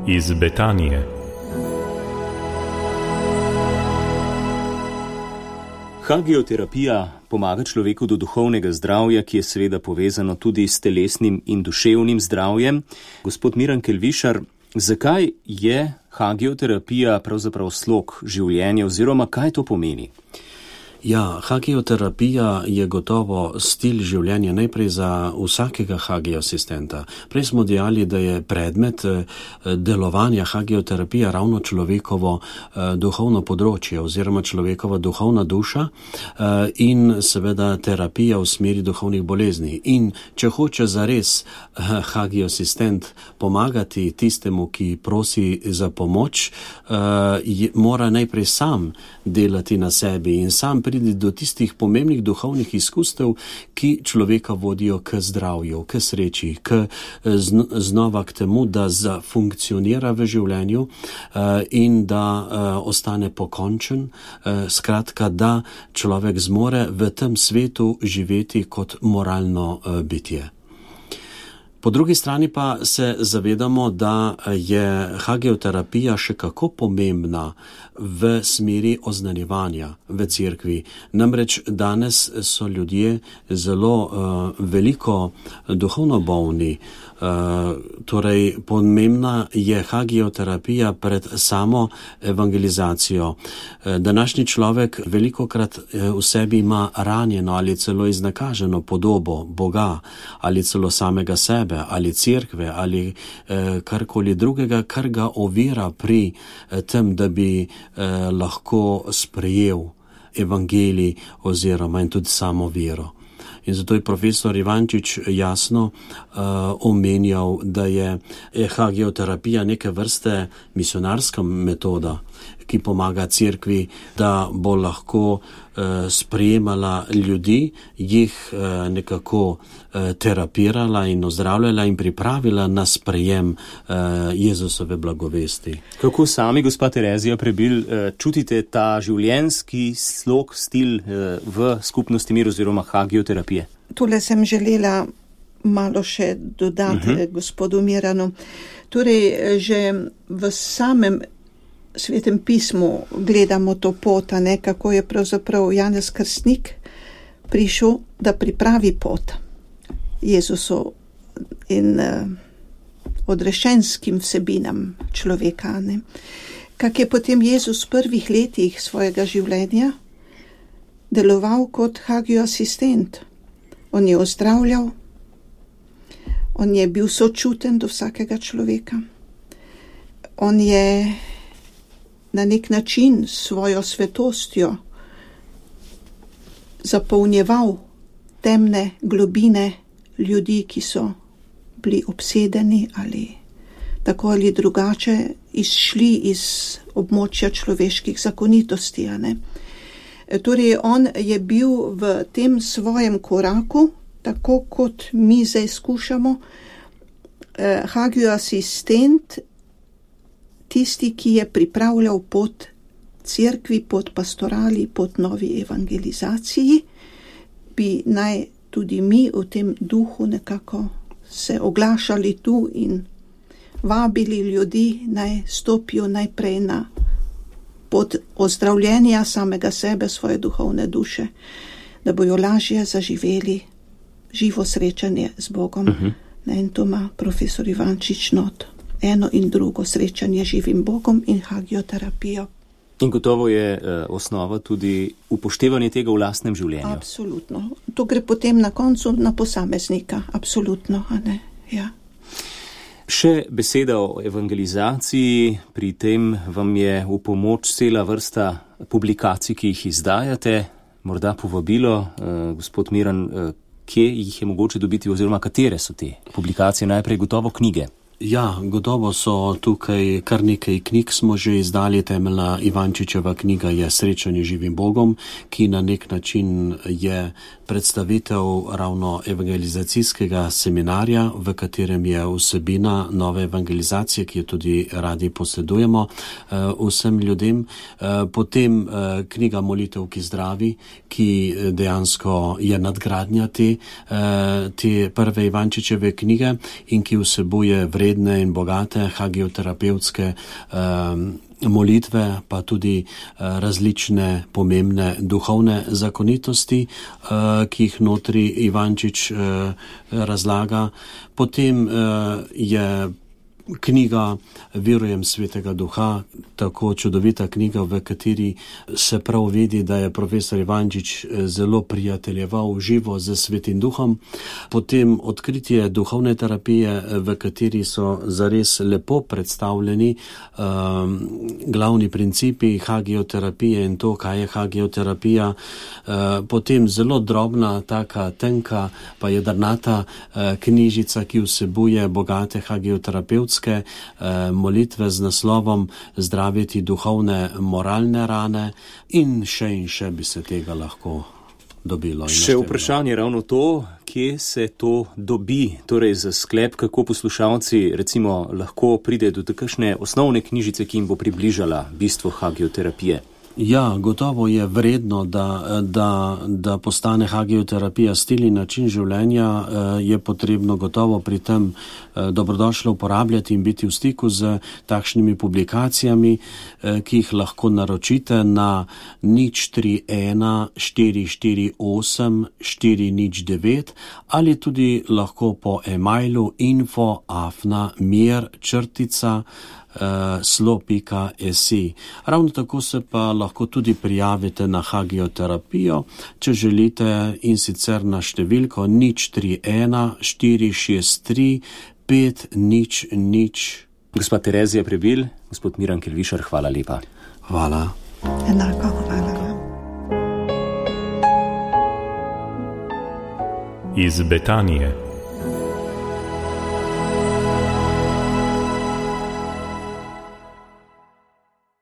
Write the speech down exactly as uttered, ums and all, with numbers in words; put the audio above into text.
iz Betanije. Hagioterapija pomaga človeku do duhovnega zdravja, ki je seveda povezano tudi s telesnim in duševnim zdravjem. Gospod Miran Kelvišar, zakaj je hagioterapija pravzaprav slog življenja oziroma kaj to pomeni? Ja, hagioterapija je gotovo stil življenja najprej za vsakega hagioasistenta. Prej smo dejali, da je predmet delovanja hagioterapija ravno človekovo duhovno področje oziroma človekova duhovna duša in seveda terapija v smeri duhovnih bolezni. In če hoče zares hagioasistent pomagati tistemu, ki prosi za pomoč, mora najprej sam delati na sebi in sam priti do tistih pomembnih duhovnih izkustev, ki človeka vodijo k zdravju, k sreči, k znova k temu, da zafunkcionira v življenju in da ostane pokončen, skratka, da človek zmore v tem svetu živeti kot moralno bitje. Po drugi strani pa se zavedamo, da je hagioterapija še kako pomembna v smeri oznanjevanja v cerkvi. Namreč danes so ljudje zelo uh, veliko duhovno bolni. Uh, torej, pomembna je hagioterapija pred samo evangelizacijo. Uh, današnji človek velikokrat uh, v sebi ima ranjeno ali celo iznakaženo podobo Boga ali celo samega sebe ali cerkve ali uh, karkoli drugega, kar ga ovira pri uh, tem, da bi uh, lahko sprejel evangelij oziroma in tudi samo vero. In zato je profesor Ivančič jasno uh, omenjal, da je hagioterapija neke vrste misionarska metoda, ki pomaga cerkvi, da bo lahko uh, sprejemala ljudi, jih uh, nekako uh, terapirala in ozdravljala in pripravila na sprejem uh, Jezusove blagovesti. Kako sami, gospa Terezija Prebil, uh, čutite ta življenjski slog, stil uh, v skupnosti Mir oziroma hagioterapije? Tole sem želela malo še dodati uh-huh. gospodu Miranu. Torej, že v samem Svetem pismu gledamo to pot, ne, kako je pravzaprav Janez Krstnik prišel, da pripravi pot Jezusu in uh, odrešenskim vsebinam človeka. Ne. Kak je potem Jezus v prvih letih svojega življenja deloval kot hagioasistent. On je ozdravljal, on je bil sočuten do vsakega človeka. On je na nek način svojo svetostjo zapolnjeval temne globine ljudi, ki so bili obsedeni ali tako ali drugače izšli iz območja človeških zakonitosti. A ne? Torej, on je bil v tem svojem koraku, tako kot mi zdaj skušamo, eh, hagioasistent, tisti, ki je pripravljal pot cerkvi, pot pastorali, pot novi evangelizaciji, bi naj tudi mi v tem duhu nekako se oglašali tu in vabili ljudi, naj stopijo najprej na pot ozdravljenja samega sebe, svoje duhovne duše, da bojo lažje zaživeli živo srečanje z Bogom. Uh-huh. In to ima profesor Ivančič not. Eno in drugo srečanje živim Bogom in hagioterapijo. In gotovo je eh, osnova tudi upoštevanje tega v lastnem življenju. Absolutno. To gre potem na koncu na posameznika. Absolutno, a ne? Ja. Še beseda o evangelizaciji, pri tem vam je v pomoč cela vrsta publikacij, ki jih izdajate, morda povabilo, eh, gospod Miran, eh, kje jih je mogoče dobiti oziroma katere so te publikacije, najprej gotovo knjige. Ja, gotovo so tukaj kar nekaj knjig smo že izdali. Temeljna Ivančičeva knjiga je Srečanje živim Bogom, ki na nek način je predstavitev ravno evangelizacijskega seminarja, v katerem je vsebina nove evangelizacije, ki jo tudi radi posredujemo vsem ljudem. Potem knjiga Molitev, ki zdravi, ki dejansko je nadgradnja te, te prve Ivančičeve knjige in ki vsebuje vredne in bogate hagioterapevtske molitve, pa tudi različne pomembne duhovne zakonitosti, ki jih notri Ivančič razlaga. Potem je knjiga Verujem svetega duha, tako čudovita knjiga, v kateri se prav vidi, da je profesor Ivančič zelo prijateljeval živo z svetim duhom. Potem Odkritje duhovne terapije, v kateri so zares lepo predstavljeni um, glavni principi hagioterapije in to, kaj je hagioterapija. Uh, potem zelo drobna, taka tenka, pa jedrnata uh, knjižica, ki vsebuje bogate hagioterapevtske molitve z naslovom Zdraviti duhovne moralne rane in še in še bi se tega lahko dobilo. Še vprašanje ravno to, kje se to dobi, torej za sklep, kako poslušalci recimo lahko pride do takšne osnovne knjižice, ki jim bo približala bistvo hagioterapije. Ja, gotovo je vredno, da, da, da postane hagioterapija stil in način življenja. Je potrebno gotovo pri tem dobrodošlo uporabljati in biti v stiku z takšnimi publikacijami, ki jih lahko naročite na nič tri ena štiri štiri osem štiri nič devet ali tudi lahko po e-mailu info afna mir črtica slo pika si. Ravno tako se pa lahko tudi prijavite na hagioterapijo, če želite, in sicer na številko nič tri ena štiri šest tri pet nič nič. Gospa Terezija Prebil, gospod Miran Kelvišar, hvala lepa. Hvala. Enako hvala. Iz Betanije.